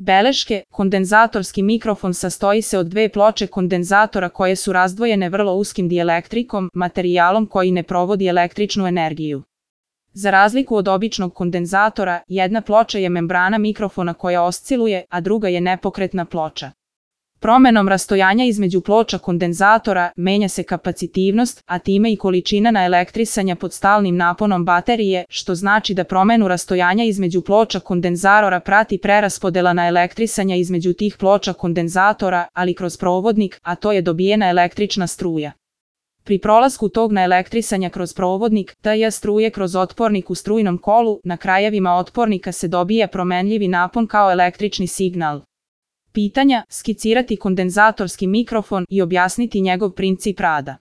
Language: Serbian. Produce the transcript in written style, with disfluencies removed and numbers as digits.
Beleške, kondenzatorski mikrofon sastoji se od dve ploče kondenzatora koje su razdvojene vrlo uskim dielektrikom, materijalom koji ne provodi električnu energiju. Za razliku od običnog kondenzatora, jedna ploča je membrana mikrofona koja osciluje, a druga je nepokretna ploča. Promenom rastojanja između ploča kondenzatora menja se kapacitivnost, a time i količina naelektrisanja pod stalnim naponom baterije, što znači da promenu rastojanja između ploča kondenzatora prati preraspodela naelektrisanja između tih ploča kondenzatora, ali kroz provodnik, a to je dobijena električna struja. Pri prolasku tog naelektrisanja kroz provodnik, ta struje kroz otpornik u strujnom kolu, na krajevima otpornika se dobija promenljivi napon kao električni signal. Pitanja: skicirati kondenzatorski mikrofon i objasniti njegov princip rada.